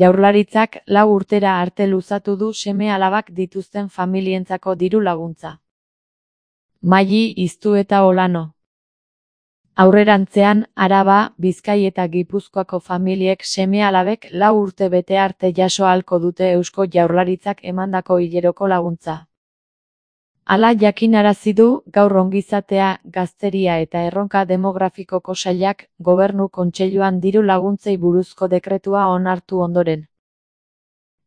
Jaurlaritzak 4 urtera arte luzatu du seme-alabak dituzten familientzako diru laguntza. Maili Iztu eta Olano. Aurrerantzean, Araba, Bizkai eta Gipuzkoako familiek seme-alabek 4 urte bete arte jaso ahalko dute Eusko Jaurlaritzak emandako hileroko laguntza. Hala jakinarazi du gaur Ongizatea, Gazteria eta Erronka Demografikoko Sailak Gobernu Kontseiluan diru laguntzei buruzko dekretua onartu ondoren.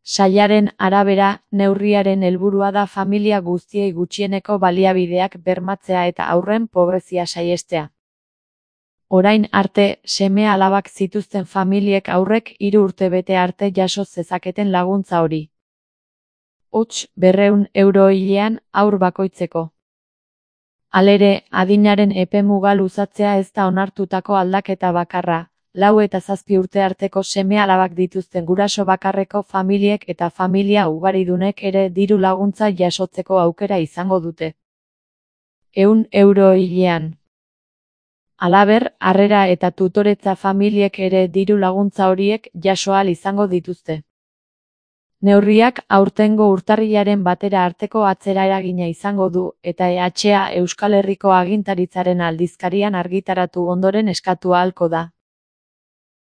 Sailaren arabera, neurriaren helburua da familia guztiei gutxieneko baliabideak bermatzea eta haurren pobrezia saihestea. Orain arte, seme-alabak zituzten familiek haurrek 3 urte bete arte jaso zezaketen laguntza hori. Hots, 200 euro hilean haur bakoitzeko. Halere, adinaren epemuga luzatzea ez da onartutako aldaketa bakarra, 4 eta 7 urte arteko seme-alabak dituzten guraso bakarreko familiek eta familia ugaridunek ere diru laguntza jasotzeko aukera izango dute. 100 euro hilean. Halaber, harrera eta tutoretza familiek ere diru laguntza horiek jaso ahal izango dituzte. Neurriak aurtengo urtarrilaren 1 arteko atzera eragina izango du eta EHA Euskal Herriko Agintaritzaren aldizkarian argitaratu ondoren eskatu ahalko da.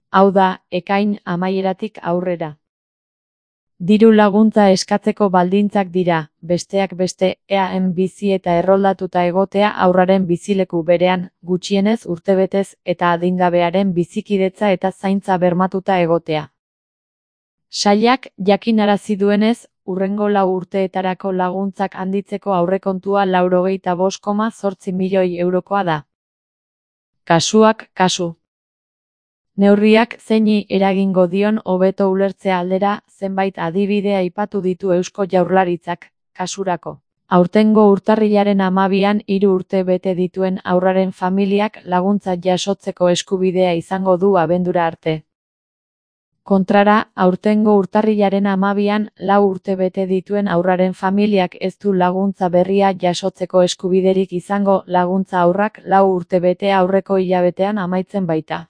Hau da, ekain amaieratik aurrera. Diru laguntza eskatzeko baldintzak dira, besteak beste, eaen bizi eta erroldatuta egotea haurraren bizileku berean, gutxienez urtebetez eta adingabearen bizikidetza eta zaintza bermatuta egotea. Sailak jakinarazi duenez, hurrengo 4 urteetarako laguntzak handitzeko aurrekontua 95,8 milioi eurokoa da. Kasuak kasu. Neurriak zeini eragingo dion hobeto ulertzea aldera, zenbait adibide aipatu ditu Eusko Jaurlaritzak, kasurako. Aurtengo urtarrilaren 12an 3 urte bete dituen haurraren familiak laguntza jasotzeko eskubidea izango du abendura arte. Kontrara, aurtengo urtarrilaren 12an 4 urte bete dituen haurraren familiak ez du laguntza berria jasotzeko eskubiderik izango, laguntza haurrak 4 urte bete aurreko hilabetean amaitzen baita.